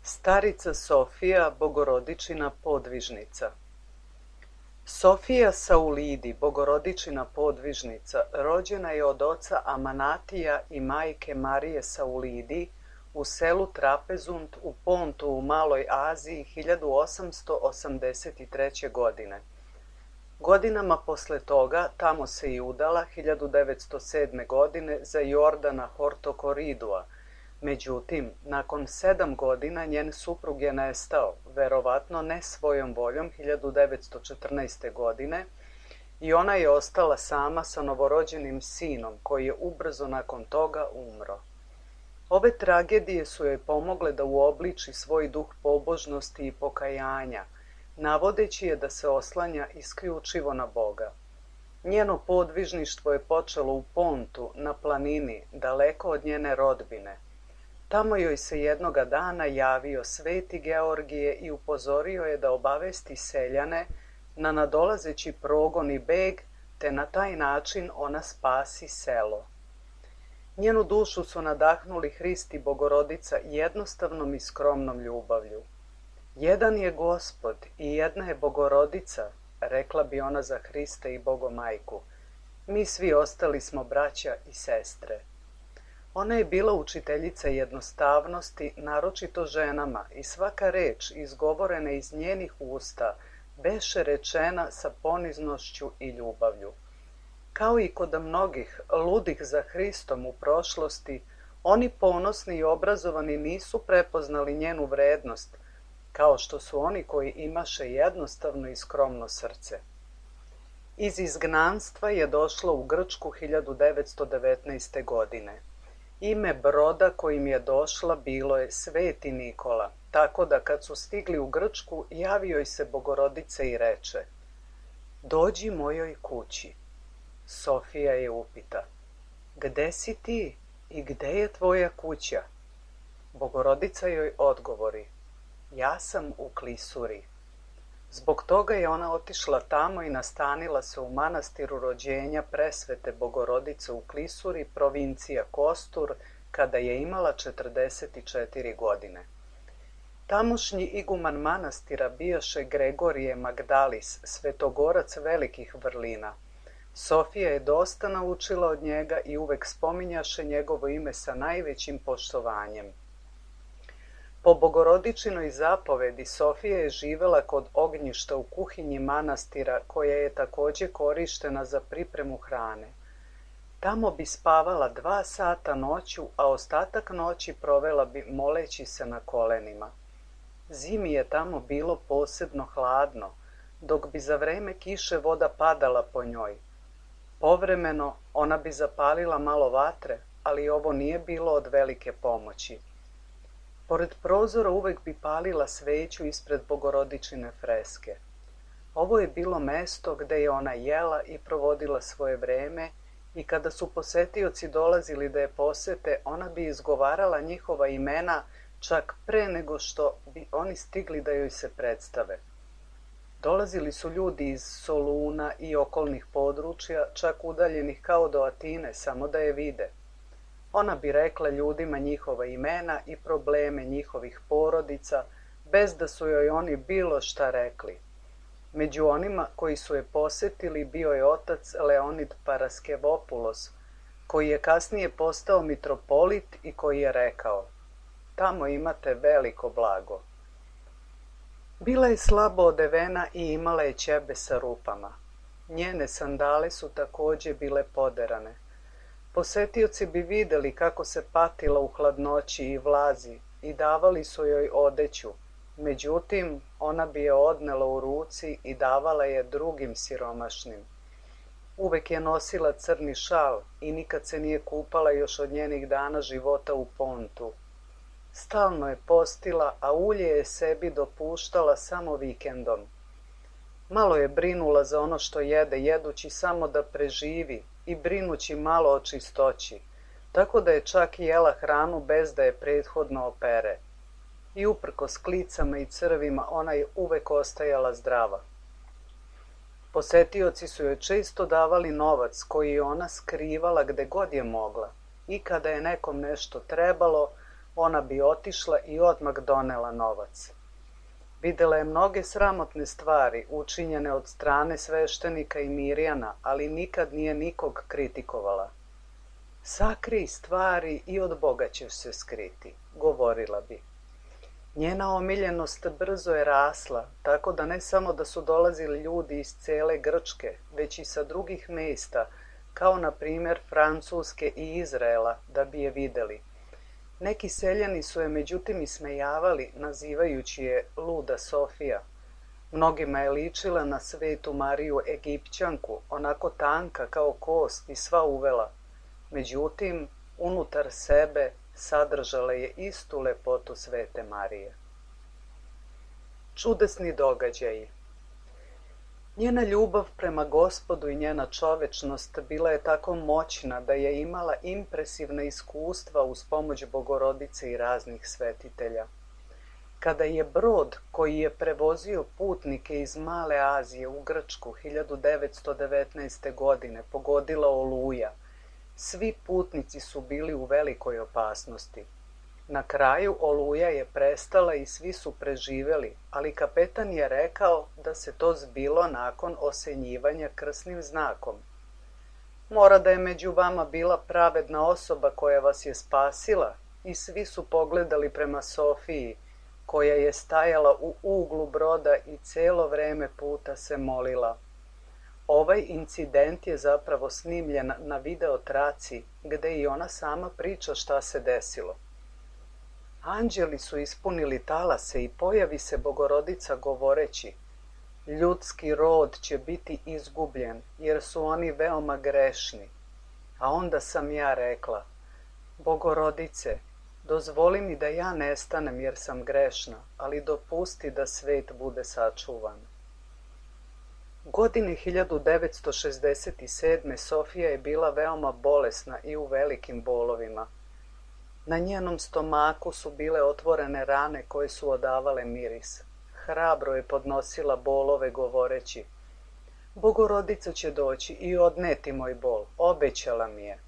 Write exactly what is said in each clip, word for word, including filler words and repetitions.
Starica Sofija, Bogorodičina podvižnica. Sofija Saulidi, Bogorodičina podvižnica, rođena je od oca Amanatija i majke Marije Saulidi u selu Trapezund u Pontu u Maloj Aziji hiljadu osamsto osamdeset treće. godine. Godinama posle toga tamo se i udala hiljadu devetsto sedme. godine za Jordana Hortokoridua. Međutim, nakon sedam godina njen suprug je nestao, verovatno ne svojom voljom, hiljadu devetsto četrnaeste. godine i ona je ostala sama sa novorođenim sinom koji je ubrzo nakon toga umro. Ove tragedije su joj pomogle da uobliči svoj duh pobožnosti i pokajanja, navodeći je da se oslanja isključivo na Boga. Njeno podvižništvo je počelo u Pontu, na planini, daleko od njene rodbine. Tamo joj se jednoga dana javio sveti Georgije i upozorio je da obavesti seljane na nadolazeći progon i beg, te na taj način ona spasi selo. Njenu dušu su nadahnuli Hrist i Bogorodica jednostavnom i skromnom ljubavlju. Jedan je Gospod i jedna je Bogorodica, rekla bi ona za Hrista i Bogomajku. Mi svi ostali smo braća i sestre. Ona je bila učiteljica jednostavnosti, naročito ženama, i svaka reč izgovorena iz njenih usta beše rečena sa poniznošću i ljubavlju. Kao i kod mnogih ludih za Hristom u prošlosti, oni ponosni i obrazovani nisu prepoznali njenu vrednost, kao što su oni koji imaše jednostavno i skromno srce. Iz izgnanstva je došla u Grčku hiljadu devetsto devetnaeste. godine. Ime broda kojim je došla bilo je Sveti Nikola, tako da kad su stigli u Grčku javio joj se Bogorodica i reče: Dođi mojoj kući. Sofija je upita: Gde si ti i gde je tvoja kuća? Bogorodica joj odgovori: Ja sam u Klisuri. Zbog toga je ona otišla tamo i nastanila se u manastiru rođenja presvete Bogorodice u Klisuri, provincija Kostur, kada je imala četrdeset četiri godine. Tamošnji iguman manastira bijaše Gregorije Magdalis, svetogorac velikih vrlina. Sofija je dosta naučila od njega i uvek spominjaše njegovo ime sa najvećim poštovanjem. Po Bogorodičinoj zapovedi Sofija je živela kod ognjišta u kuhinji manastira, koja je takođe korištena za pripremu hrane. Tamo bi spavala dva sata noću, a ostatak noći provela bi moleći se na kolenima. Zimi je tamo bilo posebno hladno, dok bi za vreme kiše voda padala po njoj. Povremeno ona bi zapalila malo vatre, ali ovo nije bilo od velike pomoći. Pored prozora uvek bi palila sveću ispred Bogorodičine freske. Ovo je bilo mesto gde je ona jela i provodila svoje vreme i kada su posetioci dolazili da je posete, ona bi izgovarala njihova imena čak pre nego što bi oni stigli da joj se predstave. Dolazili su ljudi iz Soluna i okolnih područja, čak udaljenih kao do Atine, samo da je vide. Ona bi rekla ljudima njihova imena i probleme njihovih porodica, bez da su joj oni bilo šta rekli. Među onima koji su je posetili bio je otac Leonid Paraskevopulos, koji je kasnije postao mitropolit i koji je rekao: Tamo imate veliko blago. Bila je slabo odevena i imala je ćebe sa rupama. Njene sandale su takođe bile poderane. Posetioci bi videli kako se patila u hladnoći i vlazi i davali su joj odeću, međutim ona bi je odnela u ruci i davala je drugim siromašnim. Uvek je nosila crni šal i nikad se nije kupala još od njenih dana života u pontu. Stalno je postila, a ulje je sebi dopuštala samo vikendom. Malo je brinula za ono što jede, jedući samo da preživi i brinući malo o čistoći, tako da je čak jela hranu bez da je prethodno opere. I uprkos klicama i crvima ona je uvek ostajala zdrava. Posetioci su joj često davali novac koji je ona skrivala gde god je mogla i kada je nekom nešto trebalo, ona bi otišla i odmah donela novac. Videla je mnoge sramotne stvari učinjene od strane sveštenika i Mirjana, ali nikad nije nikog kritikovala. Sakrij stvari i od Boga ćeš se skriti, govorila bi. Njena omiljenost brzo je rasla, tako da ne samo da su dolazili ljudi iz cele Grčke, već i sa drugih mesta, kao na primjer Francuske i Izraela, da bi je videli. Neki seljani su je međutim ismejavali, nazivajući je luda Sofija. Mnogima je ličila na Svetu Mariju Egipćanku, onako tanka kao kost i sva uvela. Međutim, unutar sebe sadržala je istu lepotu Svete Marije. Čudesni događaji. Njena ljubav prema Gospodu i njena čovečnost bila je tako moćna da je imala impresivna iskustva uz pomoć Bogorodice i raznih svetitelja. Kada je brod koji je prevozio putnike iz Male Azije u Grčku hiljadu devetsto devetnaeste. godine pogodila oluja, svi putnici su bili u velikoj opasnosti. Na kraju oluja je prestala i svi su preživeli, ali kapetan je rekao da se to zbilo nakon osenjivanja krsnim znakom. Mora da je među vama bila pravedna osoba koja vas je spasila, i svi su pogledali prema Sofiji, koja je stajala u uglu broda i celo vreme puta se molila. Ovaj incident je zapravo snimljen na video traci, gde i ona sama priča šta se desilo. Anđeli su ispunili talase i pojavi se Bogorodica govoreći: ljudski rod će biti izgubljen, jer su oni veoma grešni. A onda sam ja rekla: Bogorodice, dozvoli mi da ja nestanem jer sam grešna, ali dopusti da svet bude sačuvan. Godine hiljadu devetsto šezdeset sedme. Sofija je bila veoma bolesna i u velikim bolovima. Na njenom stomaku su bile otvorene rane koje su odavale miris. Hrabro je podnosila bolove govoreći: Bogorodica će doći i odneti moj bol, obećala mi je.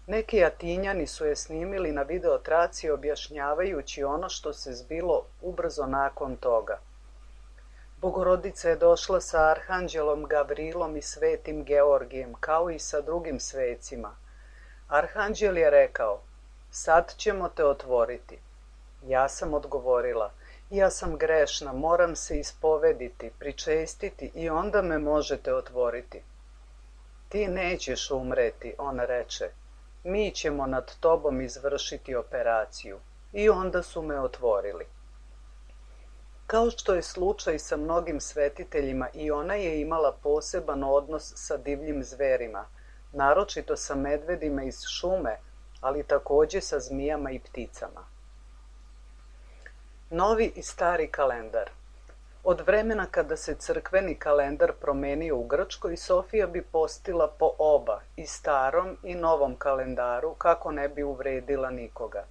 Neki Atinjani su je snimili na videotraci objašnjavajući ono što se zbilo ubrzo nakon toga. Bogorodica je došla sa Arhanđelom Gavrilom i Svetim Georgijem, kao i sa drugim svecima. Arhanđel je rekao: sad ćemo te otvoriti. Ja sam odgovorila: ja sam grešna, moram se ispovediti, pričestiti i onda me možete otvoriti. Ti nećeš umreti, on reče. Mi ćemo nad tobom izvršiti operaciju. I onda su me otvorili. Kao što je slučaj sa mnogim svetiteljima, i ona je imala poseban odnos sa divljim zverima, naročito sa medvedima iz šume, ali takođe sa zmijama i pticama. Novi i stari kalendar. Od vremena kada se crkveni kalendar promenio u Grčkoj, Sofija bi postila po oba, i starom i novom kalendaru, kako ne bi uvredila nikoga.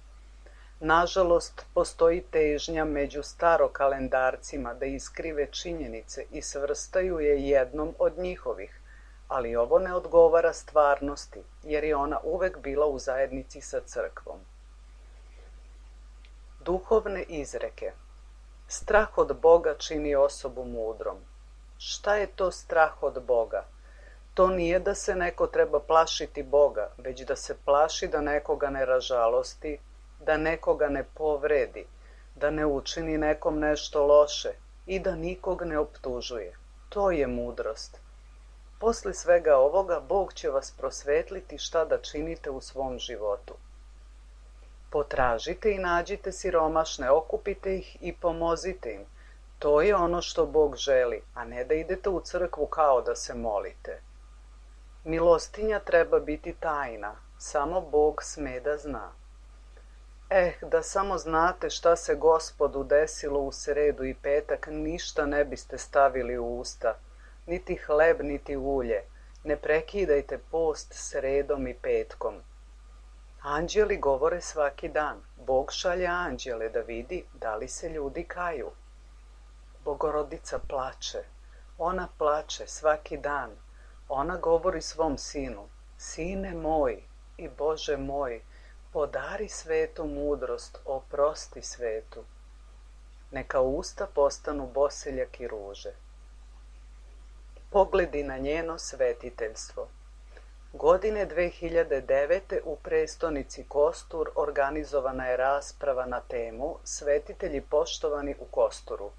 Nažalost, postoji težnja među starokalendarcima da iskrive činjenice i svrstaju je jednom od njihovih, ali ovo ne odgovara stvarnosti, jer je ona uvek bila u zajednici sa crkvom. Duhovne izreke. Strah od Boga čini osobu mudrom. Šta je to strah od Boga? To nije da se neko treba plašiti Boga, već da se plaši da nekoga ne ražalosti, da nekoga ne povredi, da ne učini nekom nešto loše i da nikog ne optužuje. To je mudrost. Poslije svega ovoga, Bog će vas prosvetliti šta da činite u svom životu. Potražite i nađite siromašne, okupite ih i pomozite im. To je ono što Bog želi, a ne da idete u crkvu kao da se molite. Milostinja treba biti tajna, samo Bog sme da zna. Eh, da samo znate šta se Gospodu desilo u sredu i petak, ništa ne biste stavili u usta, niti hleb, niti ulje. Ne prekidajte post sredom i petkom. Anđeli govore svaki dan. Bog šalje anđele da vidi da li se ljudi kaju. Bogorodica plače. Ona plače svaki dan. Ona govori svom sinu: Sine moj i Bože moj, podari svetu mudrost, oprosti svetu. Neka usta postanu boseljak i ruže. Pogledi na njeno svetiteljstvo. Godine dve hiljade devete. u prestonici Kostur organizovana je rasprava na temu Svetitelji poštovani u Kosturu.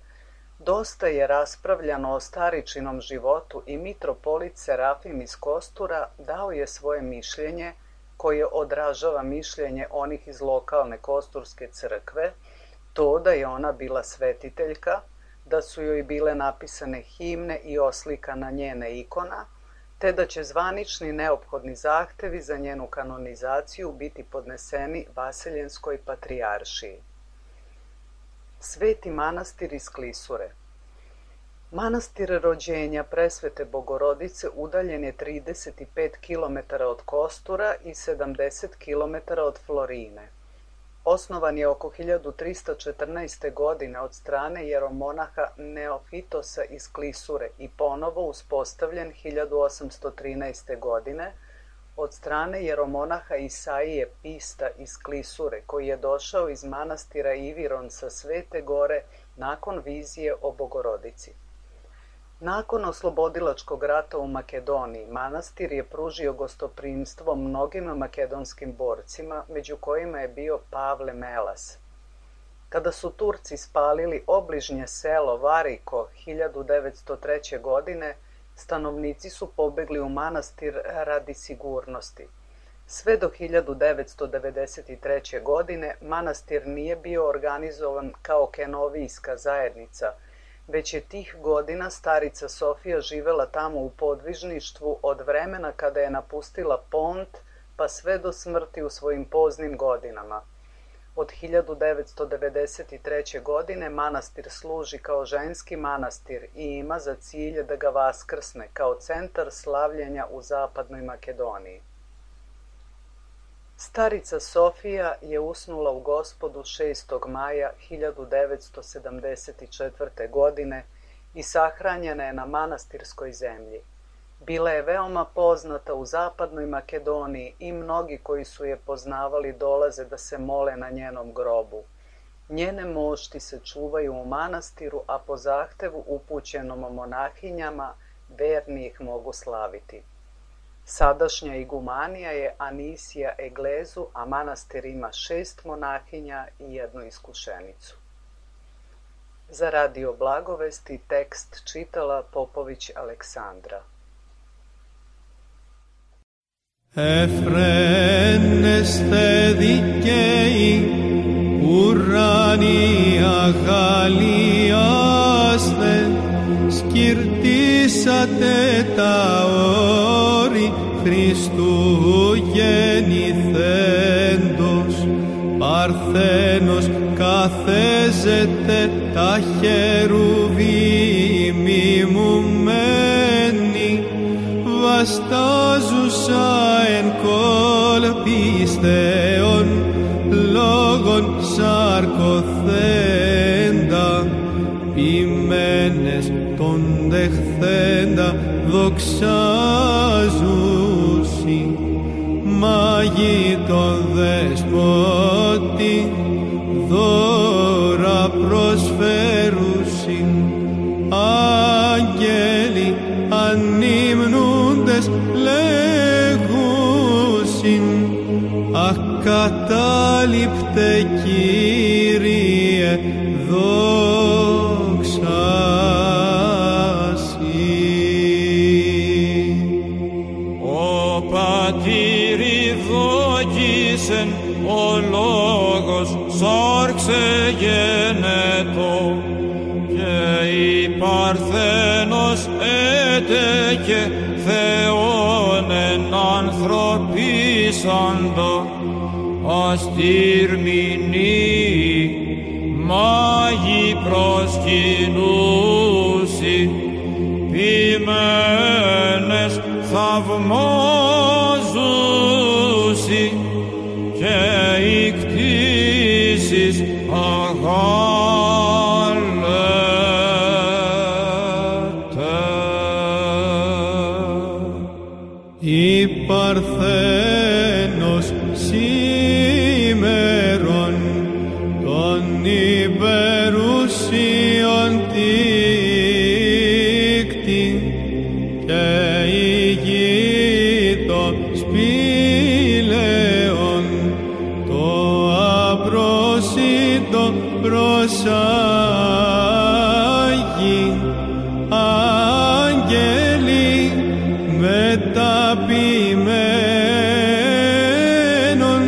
Dosta je raspravljano o staričinom životu i mitropolit Serafim iz Kostura dao je svoje mišljenje, koje odražava mišljenje onih iz lokalne Kosturske crkve, to da je ona bila svetiteljka, da su joj bile napisane himne i oslikana njena ikona, te da će zvanični neophodni zahtevi za njenu kanonizaciju biti podneseni Vaseljenskoj patrijaršiji. Sveti manastir iz Klisure. Manastir rođenja Presvete Bogorodice udaljen je trideset pet kilometara od Kostura i sedamdeset kilometara od Florine. Osnovan je oko hiljadu trista četrnaeste. godine od strane jeromonaha Neofitosa iz Klisure i ponovo uspostavljen hiljadu osamsto trinaeste. godine od strane jeromonaha Isaije Pista iz Klisure, koji je došao iz manastira Iviron sa Svete gore nakon vizije o Bogorodici. Nakon oslobodilačkog rata u Makedoniji, manastir je pružio gostoprimstvo mnogim makedonskim borcima, među kojima je bio Pavle Melas. Kada su Turci spalili obližnje selo Variko hiljadu devetsto treće. godine, stanovnici su pobegli u manastir radi sigurnosti. Sve do hiljadu devetsto devedeset treće. godine manastir nije bio organizovan kao kenovijska zajednica, već je tih godina starica Sofija živela tamo u podvižništvu od vremena kada je napustila Pont pa sve do smrti u svojim poznim godinama. Od hiljadu devetsto devedeset treće. godine manastir služi kao ženski manastir i ima za cilj da ga vaskrsne kao centar slavljenja u zapadnoj Makedoniji. Starica Sofija je usnula u Gospodu šestog maja hiljadu devetsto sedamdeset četvrte. godine i sahranjena je na manastirskoj zemlji. Bila je veoma poznata u zapadnoj Makedoniji i mnogi koji su je poznavali dolaze da se mole na njenom grobu. Njene mošti se čuvaju u manastiru, a po zahtevu upućenom monahinjama verni ih mogu slaviti. Sadašnja igumanija je Anisija Eglezu, a manastir ima šest monahinja i jednu iskušenicu. Za Radio Blagovesti tekst čitala Popović Aleksandra. Εφραίνεστε δικαίοι, ουράνοι αγαλιάστε, σκυρτήσατε τα όρη Χριστού γεννηθέντος, Παρθένος καθέζεται τα χερουβίμ μιμουμένη, βαστάζουσα εν κολπιστέων λόγων σαρκοθέντα, ποιμένες τον δεχθέντα δοξάζουσι, μάγοι τον δεσπότη δώρα προσφέρουσι, άγγελοι ανύμνουντες λέγουσιν, ακατάληπτε Κύριε δόξα σοι. πυρηδόκησεν ο λόγος σάρξε γενετό και η Παρθένος έτεκε Θεόν εν ανθρωπίσαντα αστήρμηνοι μάγοι προσκυνούσι ποιμένες θαυμάζουσι και οι κτήσεις αγάλετε. Η Παρθένος σήμερον των υπερουσίων τίκτη και ηγείτο σπήλαιον το απρόσιτο προσάγει άγγελοι μεταποιημένων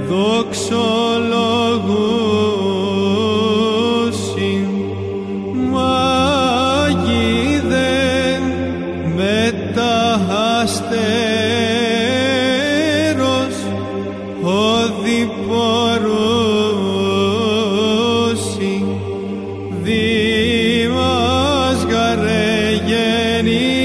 δοξολογούσιν μάγοι δεν μεταχαστέρος οδηπορούσιν δήμας γαρε γεννή